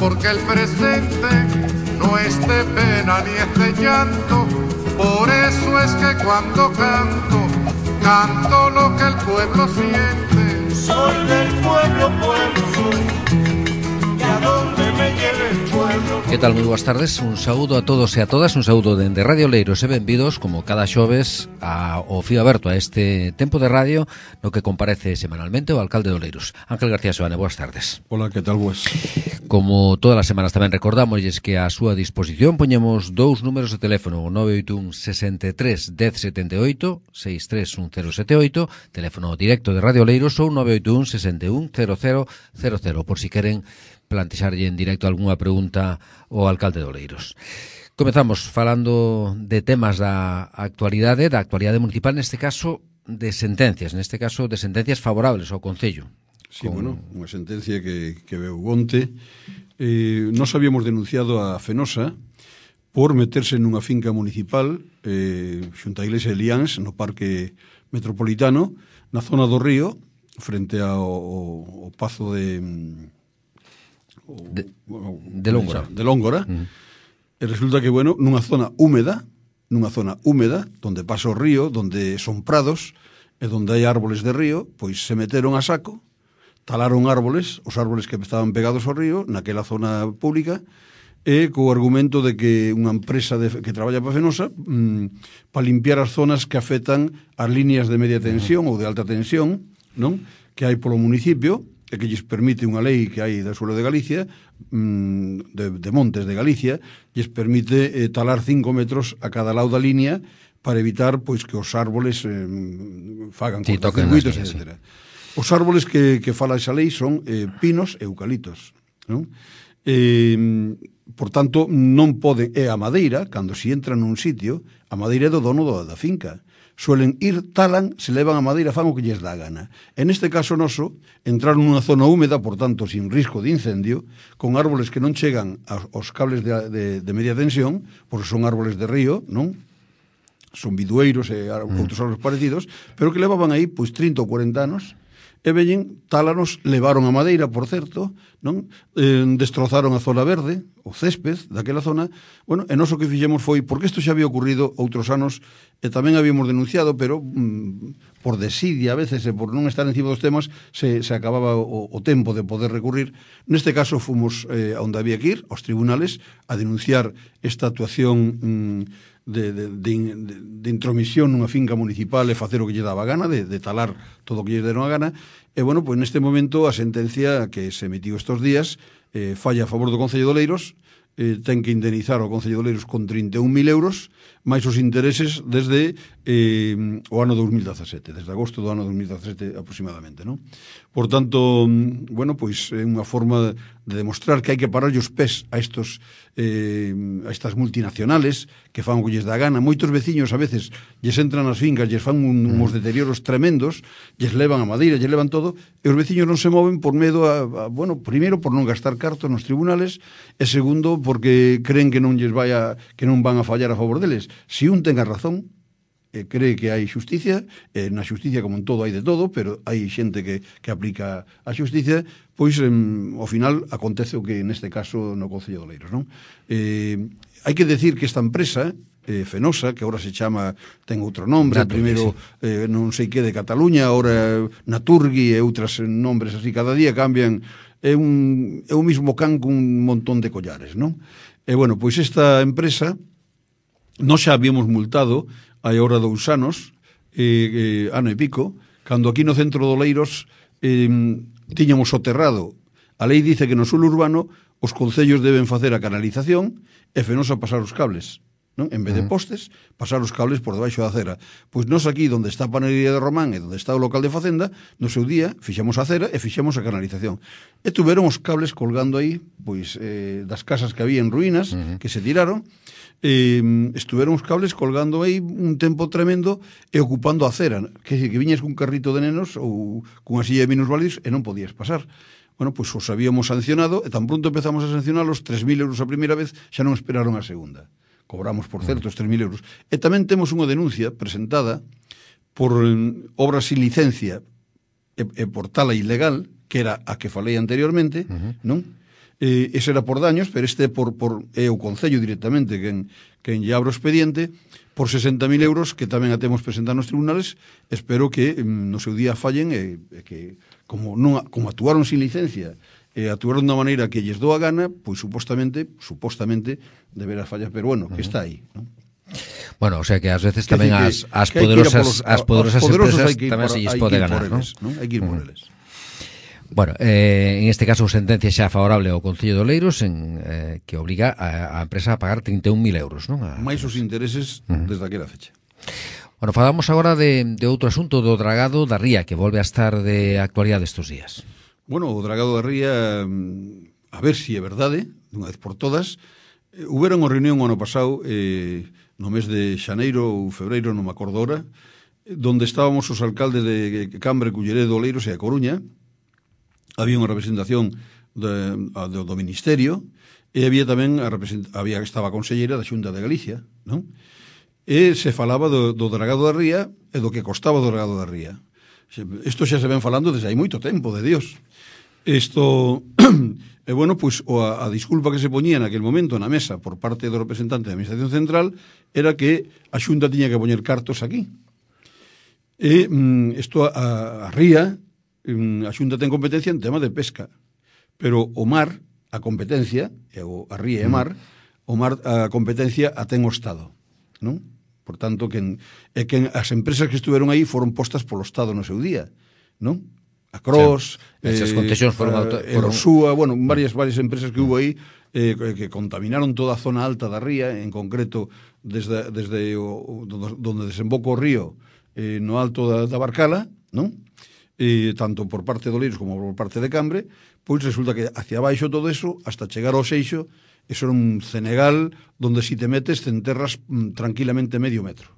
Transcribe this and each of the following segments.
porque el presente no es de pena ni es de llanto. Por eso es que cuando canto, canto lo que el pueblo siente. Soy del pueblo, pueblo soy, y a donde me lleve el pueblo. Que tal? Moi boas tardes, un saúdo a todos e a todas, un saúdo dende Radio Oleiros e benvidos, como cada xoves, ao fío aberto a este tempo de radio no que comparece semanalmente o alcalde de Oleiros, Ángel García Soane. Boas tardes. Hola, que tal, boas? Como todas as semanas tamén recordámosles que a súa disposición poñemos dous números de teléfono, o 981 63 1078, 6310078, teléfono directo de Radio Oleiros, ou 981 61 0000, por si queren plantexarlle en directo algunha pregunta ao alcalde de Oleiros. Comezamos falando de temas da actualidade municipal, neste caso de sentencias, favorables ao Concello. Sí, bueno, unha sentencia que veu onte. Nos habíamos denunciado a Fenosa por meterse nunha finca municipal xunto á Iglesia de Liáns, no Parque Metropolitano, na zona do río, frente ao Pazo de Lóngora. De Lóngora. E resulta que, bueno, nunha zona húmeda, donde pasa o río, donde son prados, e donde hai árboles de río, pois se meteron a saco, talaron árboles, os árboles que estaban pegados ao río, naquela zona pública, e co argumento de que unha empresa que traballa para Fenosa para limpiar as zonas que afectan as líneas de media tensión ou de alta tensión, non? Que hai polo municipio, e que lles permite unha lei que hai da suelo de Galicia, de Montes de Galicia, lles permite talar 5 metros a cada lado da línea para evitar pois que os árboles fagan cortocircuitos, etc. Os árboles que fala esa lei son pinos e eucaliptos, non? Por tanto, non pode, a madeira, cando se entra nun sitio, a madeira é do dono da finca. Suelen ir, talan, se levan a madeira, fan o que lles dá gana. En este caso noso, entraron nunha zona húmeda, por tanto, sin risco de incendio, con árboles que non chegan aos cables de media tensión, porque son árboles de río, non? Son bidueiros e outros árboles parecidos, pero que levaban aí, pois, 30 ou 40 anos, e veñen, tálanos, levaron a madeira, por certo, non? Destrozaron a zona verde, o césped daquela zona. Bueno, e nós o que fixemos foi, porque isto xa había ocurrido outros anos, e tamén habíamos denunciado, pero por desidia a veces, e por non estar encima dos temas, se acababa o tempo de poder recurrir. Neste caso fomos onde había que ir, aos tribunales, a denunciar esta actuación de intromisión nunha finca municipal e facer o que lle daba gana, de talar todo o que lle deron a gana. E, bueno, pois neste momento a sentencia que se emitiu estes días falla a favor do Concello de Oleiros, ten que indemnizar ao Concello de Oleiros con 31.000 euros, máis os intereses desde o ano 2017, desde agosto do ano 2017 aproximadamente, non? Por tanto, bueno, pois é unha forma de demostrar que hai que parar os pés a estas multinacionales que fan o que lles dá gana. Moitos veciños a veces lles entran nas fincas, lles fan uns deterioros tremendos, lles levan a madeira, lles levan todo, e os veciños non se moven por medo bueno, primeiro por non gastar cartos nos tribunales, e segundo porque creen que non van a fallar a favor deles. Si un ten a razón, cree que hai xusticia, na xusticia como en todo hai de todo, pero hai xente que aplica a xusticia, pois ao final acontece o que neste caso no Concello de Oleiros, non? Hai que decir que esta empresa Fenosa, que agora se chama, ten outro nombre, primeiro non sei que de Cataluña, agora Naturgui e outros nombres así, cada día cambian, é un mismo can cun montón de collares, non? E bueno, pois esta empresa nós xa habíamos multado hai ahora 2 anos, ano e pico, cando aquí no centro de Oleiros tiñamos soterrado. A lei dice que no suelo urbano os concellos deben facer a canalización e Fenosa pasar os cables, non? En vez de postes, pasar os cables por debaixo da acera. Pois nós aquí, onde está a panadería de Román e onde está o local de Facenda, no seu día fixemos a acera e fixemos a canalización. E tuveron os cables colgando aí, pois, das casas que había en ruínas, que se tiraron, estuveron os cables colgando aí un tempo tremendo e ocupando a acera, que viñas cun carrito de nenos ou cunha silla de minusválidos e non podías pasar. Bueno, pois os habíamos sancionado e tan pronto empezamos a sancionalos, 3.000 euros a primeira vez, xa non esperaron a segunda. Cobramos, por certo, os 3.000 euros. E tamén temos unha denuncia presentada por obras sin licencia e por tala ilegal, que era a que falei anteriormente, non? ese era por daños, pero este é o Concello directamente quen lle abre o expediente por 60.000 euros que tamén a temos presentado nos tribunales. Espero que no seu día fallen e que como actuaron sin licencia e actuaron de unha maneira que lles dou a gana, pois supostamente deberá fallar, pero bueno, que está aí, non? Bueno, o sea que ás veces tamén as poderosas empresas tamén se lles pode ganar, non? Hai que ir por eles. Bueno, en este caso sentencia xa favorable ao Concello de Oleiros que obriga a empresa a pagar 31.000 euros, non? Mais os intereses desde aquela fecha. Bueno, falamos agora de outro asunto, do dragado da Ría, que volve a estar de actualidade estes días. Bueno, o dragado da Ría, a ver se é verdade, dunha vez por todas. Houberon unha reunión o ano pasado, no mes de xaneiro ou febreiro, non me acordo ahora, donde estábamos os alcaldes de Cambre, Culleredo, Oleiros e a Coruña. Había unha representación do Ministerio e había tamén estaba a conselleira da Xunta de Galicia, non? E se falaba do dragado da Ría e do que costaba do dragado da Ría. Isto xa se ven falando desde hai moito tempo, de Dios. Isto, e bueno, pois a disculpa que se poñía naquele momento na mesa por parte do representante da Administración Central era que a Xunta tiña que poñer cartos aquí. E isto a Ría, a Xunta ten competencia en tema de pesca, pero o mar, a competencia, a Ría e mar, a competencia a ten o Estado, non? Por tanto, as empresas que estuveron aí foron postas polo Estado no seu día, non? A Cros, esas concesións foron Súa, bueno, varias empresas que hubo aí que contaminaron toda a zona alta da Ría, en concreto desde donde desemboca o río no alto da Barcala, non? Tanto por parte de Oleiros como por parte de Cambre, pois resulta que hacia abaixo todo eso, hasta chegar ao Seixo, eso era un cenegal donde si te metes te enterras tranquilamente medio metro.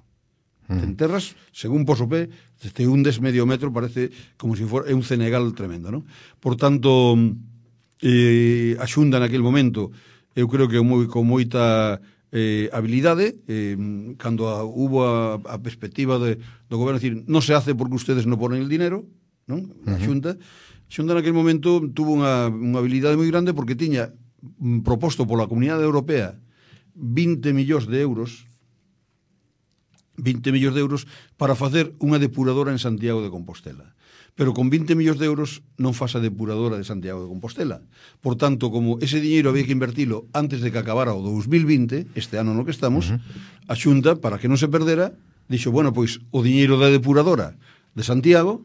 Te enterras, según poso pé, te hundes medio metro, parece como se fora, é un cenegal tremendo, non? Por tanto, a Xunta naquele momento, eu creo que con moita habilidade, cando hubo a perspectiva do goberno, decir, non se hace porque ustedes non ponen el dinero, non? A Xunta naquele momento tuvo unha habilidade moi grande porque tiña proposto pola Comunidade Europea 20 millóns de euros para facer unha depuradora en Santiago de Compostela. Pero con 20 millóns de euros non faz a depuradora de Santiago de Compostela. Por tanto, como ese diñeiro había que invertilo antes de que acabara o 2020, este ano no que estamos, a Xunta, para que non se perdera, dixo, bueno, pois o diñeiro da depuradora de Santiago,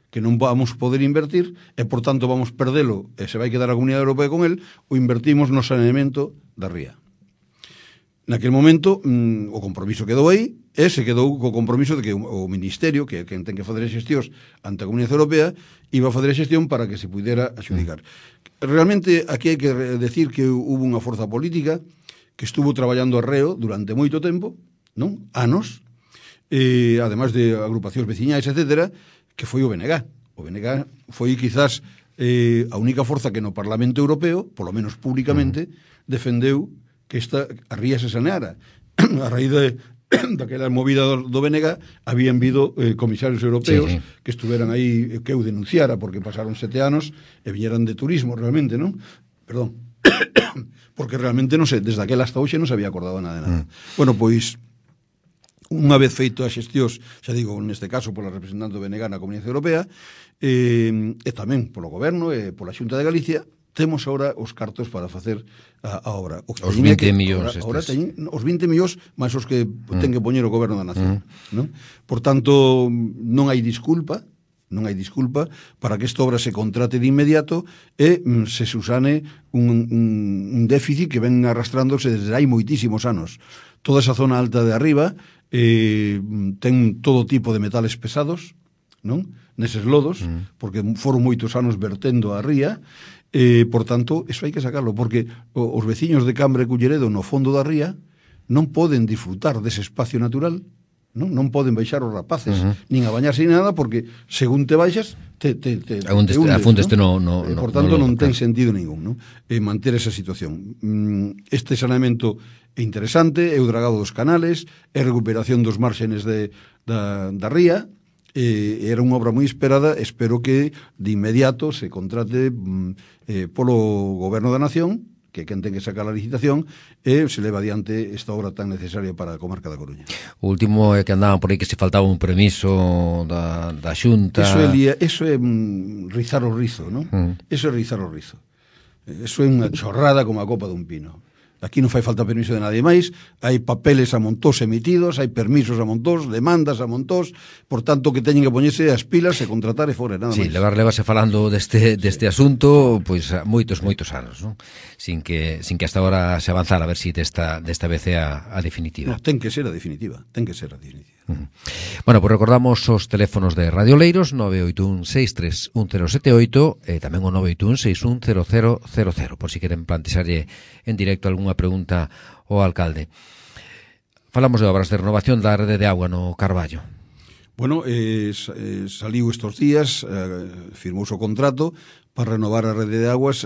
que non vamos poder invertir, e por tanto vamos perdelo, e se vai quedar a Comunidade Europea con el, o invertimos no saneamento da Ría. Naquele momento, o compromiso quedou aí, e se quedou co compromiso de que o Ministerio, que ten que fazer as xestións ante a Comunidade Europea, iba a fazer a xestión para que se pudera axudicar. Realmente, aquí hai que decir que hubo unha forza política que estuvo traballando arreo durante moito tempo, non? Anos, ademais de agrupacións veciñais, etcétera, que foi o BNG. O BNG foi quizás a única forza que no Parlamento Europeo, polo menos públicamente, defendeu que a Ría se saneara. A raíz daquela movida do BNG habían habido comisarios europeos que estuveran aí, que eu denunciara, porque pasaron 7 anos e viñeran de turismo realmente, non? Perdón. Porque realmente, non sei, desde aquela hasta hoxe non se había acordado nada de nada. Bueno, pois, unha vez feito as xestións, xa digo, neste caso pola representante do BNG na Comunidade Europea, e tamén polo goberno e pola Xunta de Galicia, temos agora os cartos para facer a obra. Os 20 millóns estes. Agora teñen os 20 millóns máis os que ten que poñer o goberno da nación. Non? Por tanto, non hai disculpa para que esta obra se contrate de inmediato e se susane un déficit que ven arrastrándose desde hai moitísimos anos. Toda esa zona alta de arriba ten todo tipo de metales pesados, non? Neses lodos, porque foron moitos anos vertendo a ría. Por tanto, eso hai que sacarlo, porque os veciños de Cambre e Culleredo no fondo da ría non poden disfrutar dese espacio natural, non poden baixar os rapaces, nin a bañarse ni nada, porque según te baixas te hundes, por tanto non ten sentido ningún, non? Manter esa situación. Este saneamento é interesante, é o dragado dos canales, é recuperación dos márgenes da ría, era unha obra moi esperada. Espero que de inmediato se contrate polo Goberno da Nación, que quen ten que sacar a licitación, e se leva adiante esta obra tan necesaria para a comarca da Coruña. O último é que andaban por aí que se faltaba un permiso da Xunta. Eso é rizar o rizo, non? Eso é rizar o rizo. Eso é unha chorrada como a copa dun pino. Aquí non fai falta permiso de nadie máis, hai papeles a montós emitidos, hai permisos a montós, demandas a montós, por tanto que teñen que poñerse as pilas e contratar e fora, nada máis. Sí, levase falando deste asunto pois moitos anos, non? Sin que hasta ahora se avanzara, a ver si desta vez é a definitiva. No, ten que ser a definitiva, Bueno, pois recordamos os teléfonos de Radio Oleiros, 981-631078 e tamén o 981-610000, por si queren plantexarlle en directo algunha pregunta ao alcalde. Falamos de obras de renovación da rede de agua no Carballo. Bueno, saliu estos días, firmouse o contrato para renovar a rede de aguas.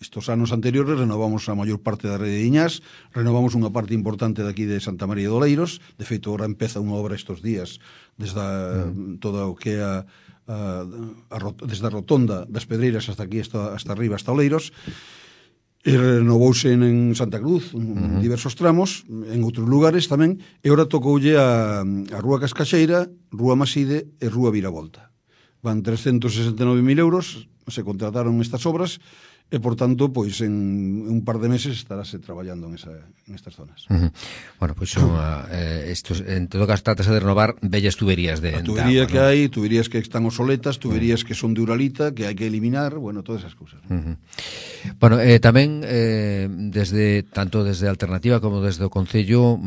Estos anos anteriores renovamos a maior parte da rede de Iñás, renovamos unha parte importante daqui de Santa María de Oleiros. De feito, ahora empeza unha obra estes días desde toda o que é desde a rotonda das Pedreiras hasta aquí, hasta arriba, hasta Oleiros. E renovouse en Santa Cruz, en diversos tramos, en outros lugares tamén, e ora tocoulle a Rúa Cascaxeira, Rúa Maside e Rúa Viravolta. Van 369.000 euros, se contrataron estas obras, e, por tanto, pois en un par de meses estarase traballando en estas zonas. Bueno, pois en todo caso trátase de renovar vellas tuberías de agua. A tubería que hai, tuberías que están obsoletas, tuberías que son de uralita, que hai que eliminar, bueno, todas esas cousas. Bueno, tamén tanto desde Alternativa como desde o Concello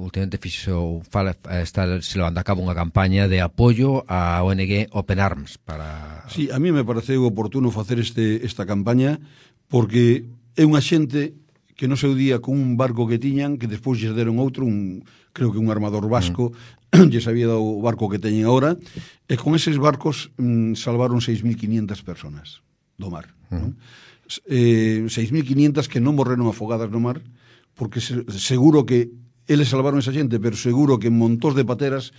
últimamente está se levando a cabo unha campaña de apoio á ONG Open Arms para... Sí, a mí me pareceu oportuno facer esta campaña porque é unha xente que no seu día con un barco que tiñan, que despois lles deron outro, creo que un armador vasco, lles había dado o barco que teñen agora, e con eses barcos salvaron 6.500 personas do mar. 6.500 que non morreron afogadas no mar, porque seguro que eles salvaron esa xente, pero seguro que montós de pateras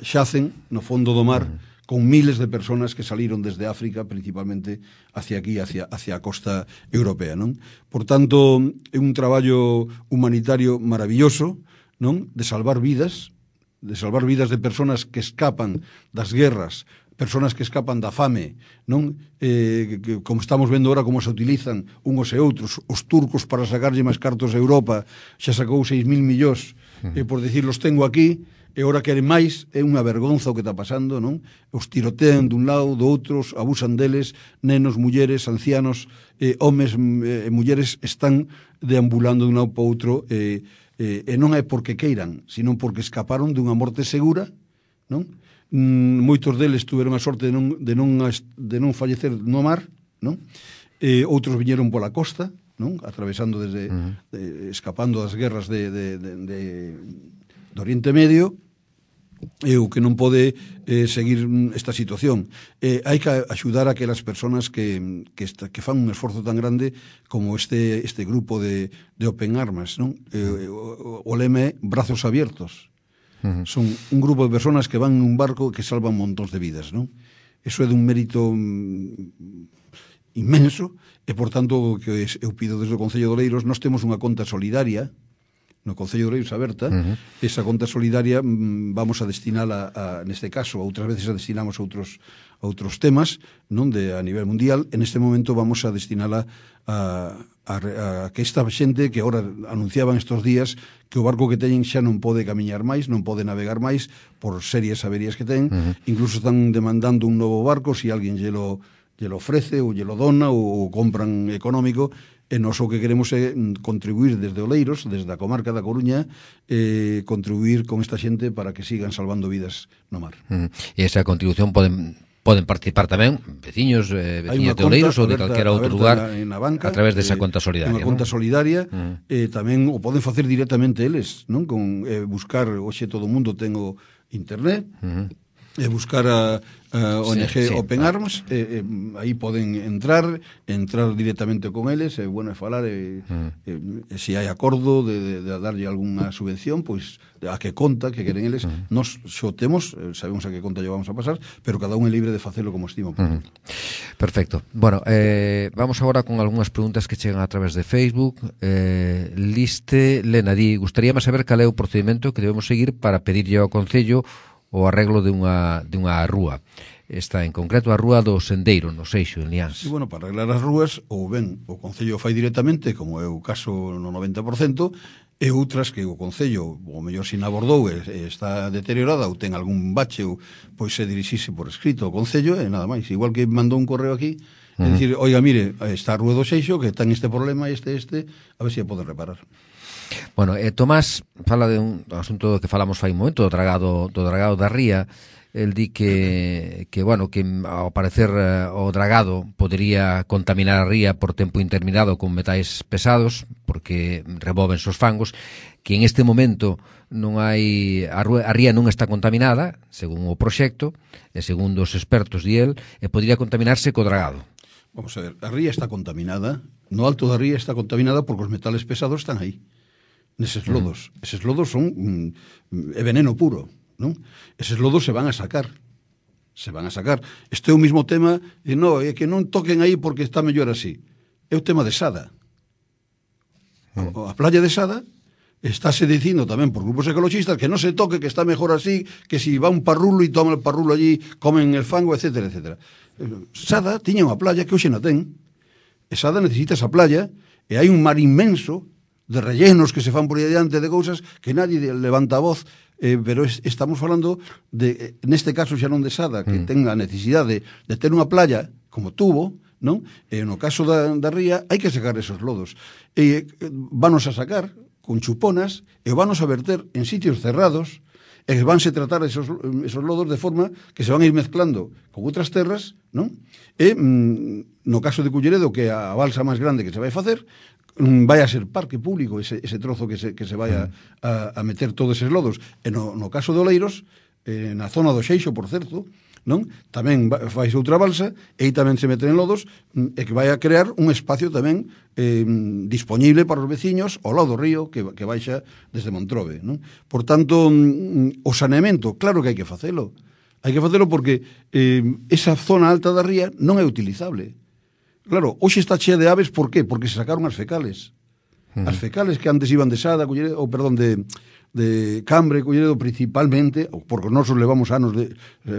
xacen no fondo do mar, con miles de personas que saliron desde África, principalmente hacia aquí, hacia a costa europea, non? Por tanto, é un traballo humanitario maravilloso, non? De salvar vidas de personas que escapan das guerras, personas que escapan da fame, non? Que, como estamos vendo ahora como se utilizan unhos e outros, os turcos para sacarlle máis cartos a Europa, xa sacou 6.000 millóns, e por dicir, los tengo aquí, e ora queren máis, é unha vergonza o que está pasando, non? Os tirotean dun lado, do outros, abusan deles, nenos, mulleres, ancianos, homes e mulleres están deambulando dun lado para outro, e non é porque queiran, sino porque escaparon dunha morte segura, non? Moitos deles tuveron a sorte de non fallecer no mar, non? Outros viñeron pola costa, non? Atravesando escapando das guerras de Oriente Medio, e o que non pode seguir esta situación. Hai que axudar a aquelas persoas que fan un esforzo tan grande como este grupo de Open Arms, non? O lema é brazos abiertos. Son un grupo de persoas que van en un barco que salvan montóns de vidas, non? Eso é dun mérito inmenso, e, por tanto, que eu pido desde o Concello de Oleiros, nós temos unha conta solidaria no Concello de Oleiros aberta. Esa conta solidaria vamos a destinala neste caso, outras veces a destinamos a outros temas, non a nivel mundial. En este momento vamos a destinala a que esta xente que agora anunciaban estos días que o barco que teñen xa non pode camiñar máis, non pode navegar máis por serias averías que ten. Incluso están demandando un novo barco, se alguén lle lo ofrece ou lle lo dona ou compran económico. E nós o que queremos é contribuir desde Oleiros, desde a comarca da Coruña, contribuir con esta xente para que sigan salvando vidas no mar. E esa contribución poden participar tamén veciños de Oleiros ou de calquera outro lugar a través desa conta solidaria. Unha conta solidaria, tamén o poden facer directamente eles, non? Con buscar, hoxe todo o mundo ten o internet, buscar a ONG Open Arms, aí poden entrar directamente con eles, bueno, falar se hai acordo de darlle algunha subvención, pois a que conta que queren eles, nos xo temos, sabemos a que conta lle vamos a pasar, pero cada un é libre de facelo como estima. Perfecto. Bueno, vamos agora con algunhas preguntas que chegan a través de Facebook. Liste Lena di, gustaríame saber cal é o procedimento que debemos seguir para pedirlle ao Concello o arreglo de unha rúa. Esta en concreto a Rúa do Sendeiro, no Seixo, en Liáns. Sí, bueno, para arreglar as rúas, ou ben o Concello fai directamente, como é o caso no 90%, e outras que o Concello, o mellor sin abordou, está deteriorada ou ten algún bache, ou pois se dirixise por escrito ao Concello, e nada máis. Igual que mandou un correo aquí, e dicir, oiga, mire, está a Rúa do Seixo, que ten este problema, a ver se a poden reparar. Bueno, Tomás fala de un asunto que falamos fai un momento, do dragado da ría. El di que ao parecer o dragado podería contaminar a ría por tempo indeterminado con metais pesados, porque remóvense os fangos, que en este momento non hai a ría non está contaminada, según o proxecto, e segundo os expertos di el, e podría contaminarse co dragado. Vamos a ver, a ría está contaminada, no alto da ría está contaminada porque os metales pesados están aí, neses lodos. Eses lodos son veneno puro, non? Eses lodos se van a sacar. Este é o mismo tema, é que non toquen aí porque está mellor así. É o tema de Sada. A playa de Sada estáse dicindo tamén por grupos ecologistas que non se toque, que está mellor así, que si va un parrulo e toma el parrulo allí, comen el fango, etcétera, etcétera. Sada tiña unha playa que hoxe non ten. E Sada necesita esa playa, e hai un mar inmenso de rellenos que se fan por aí adiante de cousas que nadie levanta a voz, pero estamos falando de, neste caso xa non de Sada, que ten a necesidade de ter unha playa como tuvo, non? E no caso da ría hai que sacar esos lodos. E vanos a sacar con chuponas e vanos a verter en sitios cerrados e vanse tratar esos lodos de forma que se van a ir mezclando con outras terras, non? E no caso de Culleredo, que é a balsa máis grande que se vai facer, vai a ser parque público ese trozo que se vai a meter todos eses lodos. E no caso de Oleiros, na zona do Xeixo, por certo, non? Tamén faise outra balsa e aí tamén se meten lodos e que vai a crear un espacio tamén disponible para os veciños ao lado do río que baixa desde Montrobe, non? Por tanto, o saneamento, claro que hai que facelo. Hai que facelo porque esa zona alta da ría non é utilizable. Claro, hoxe está chea de aves, por qué? Porque se sacaron as fecales. As fecales que antes iban de Sada, de Cambre, Culleredo principalmente, porque nosos levamos anos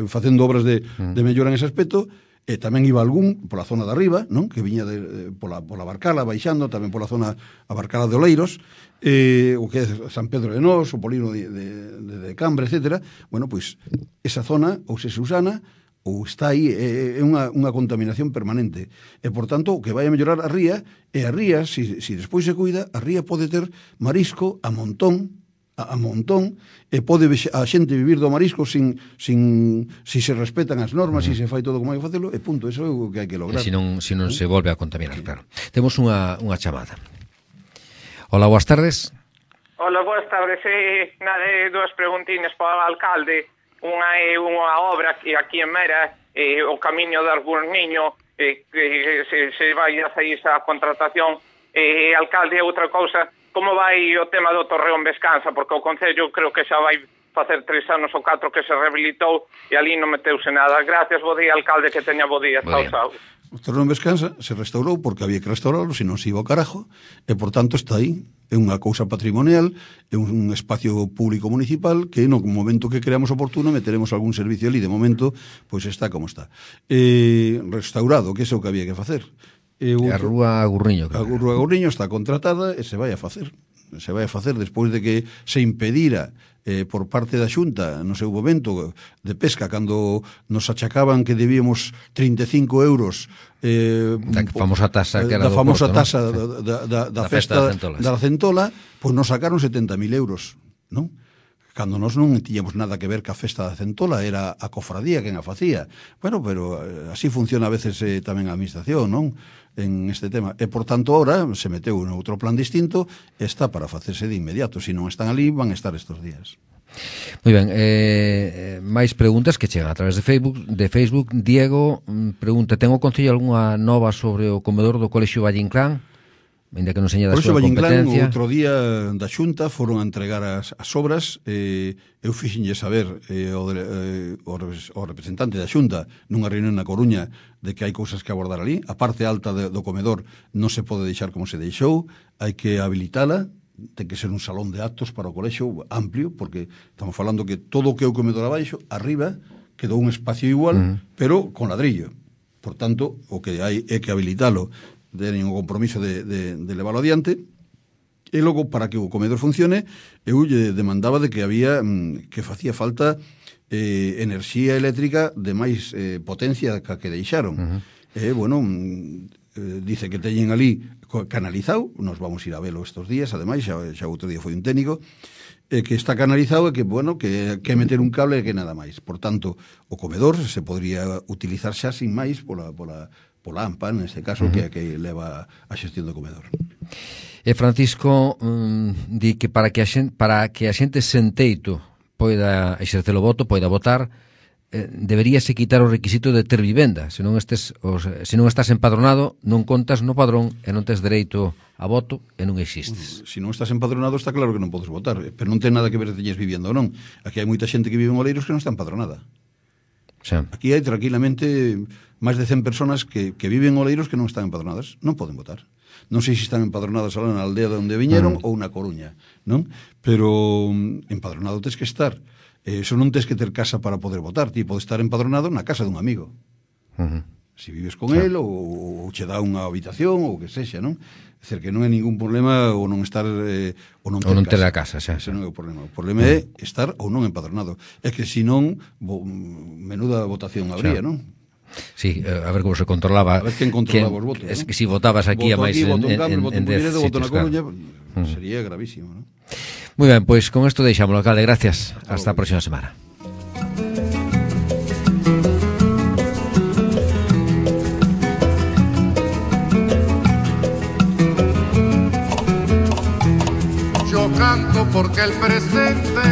facendo obras de mellora en ese aspecto, e tamén iba algún pola zona de arriba, non? Que viña pola Barcala, baixando, tamén pola zona a Barcala de Oleiros, o que é San Pedro de Nós, o Polino de Cambre, etcétera. Bueno, pois, esa zona, ou se usana, ou está aí, é unha contaminación permanente. E, por tanto, o que vai a mellorar a ría, e a ría, se despois se cuida, a ría pode ter marisco a montón, e pode a xente vivir do marisco si se respetan as normas, si se fai todo como hai que facelo, e punto, eso é o que hai que lograr. E se non se volve a contaminar, claro. Temos unha chamada. Hola, boas tardes. Hola, boas tardes. Dúas preguntinas para o alcalde. Unha é unha obra que aquí en Mera, o camiño de Argurniño, que se vai a sair esa contratación. Alcalde, outra cousa, como vai o tema do Torreón Vescansa? Porque o Concello creo que xa vai facer 3 anos ou 4 que se rehabilitou e ali non meteuse nada. Gracias, bo día, alcalde, que teña bo día. O Torreón Vescansa se restaurou porque había que restaurarlo, se non se iba ao carajo, e por tanto está aí. É unha cousa patrimonial, é un espacio público municipal que no momento que creamos oportuno meteremos algún servicio ali. De momento, pois está como está. Restaurado, que é o que había que facer. A Rúa Agurriño. A Rúa Agurriño está contratada e se vai a facer. Se vai a facer despois de que se impedira por parte da Xunta no seu momento de pesca, cando nos achacaban que debíamos 35 euros da famosa tasa que era da famosa Porto, tasa da festa da Centola, pois nos sacaron 70.000 euros, non? Cando nós non tiñamos nada que ver ca festa da Centola, era a cofradía quen a facía. Bueno, pero así funciona a veces tamén a administración, non? En este tema. E, por tanto, ahora se meteu en outro plan distinto, está para facerse de inmediato. Se non están ali, van a estar estos días. Moi ben, máis preguntas que chegan a través de Facebook. Diego pregunta, ten o Concello algunha nova sobre o comedor do Colexio Valle Inclán? Ainda que non seña da súa competencia. Outro día da Xunta foron a entregar as obras, eu fixenlle saber o representante da Xunta nunha reunión na Coruña de que hai cousas que abordar ali. A parte alta do comedor non se pode deixar como se deixou, hai que habilitala, ten que ser un salón de actos para o colexio amplio, porque estamos falando que todo o que é o comedor abaixo, arriba, quedou un espacio igual, pero con ladrillo. Por tanto, o que hai é que habilitalo, teñen o compromiso de leválo adiante, e logo, para que o comedor funcione, eu lle demandaba de que había que facía falta enerxía eléctrica de máis potencia que deixaron. Dice que teñen ali canalizado, nos vamos ir a velo estos días, ademais, xa outro día foi un técnico, que está canalizado e que, que meter un cable e que nada máis. Por tanto, o comedor se podría utilizar xa sin máis pola AMPA, neste caso, que leva a xestión do comedor. E Francisco di que para que a xente sen teito poida exercer o voto, poida votar, deberíase quitar o requisito de ter vivenda. Se non estás empadronado, non contas no padrón e non tes dereito a voto e non existes. Se non estás empadronado, está claro que non podes votar, pero non ten nada que ver se teñes vivenda ou non. Aquí hai moita xente que vive en Oleiros que non está empadronada. Aquí hai tranquilamente máis de 100 personas que viven en Oleiros que non están empadronadas, non poden votar. Non sei se están empadronadas alá na aldea onde viñeron ou na Coruña, non? Pero empadronado tes que estar. Eso non tes que ter casa para poder votar, ti podes estar empadronado na casa dun amigo. Se vives con el ou che dá unha habitación ou que sexa, non? É dicir, que non é ningún problema ou non estar ou non ter a casa, xa. Ese non é o problema. O problema é estar ou non empadronado. É que senón menuda votación habría, non? Sí, a ver como se controlaba. A ver quen controlaba os votos. Es que si votabas aquí a máis en 10 sitios, claro. Sería gravísimo, non? Moi ben, pois con isto deixámoslo, alcalde, gracias. Hasta a próxima semana. Yo canto porque el presente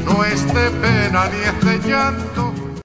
no es de pena ni es de llanto,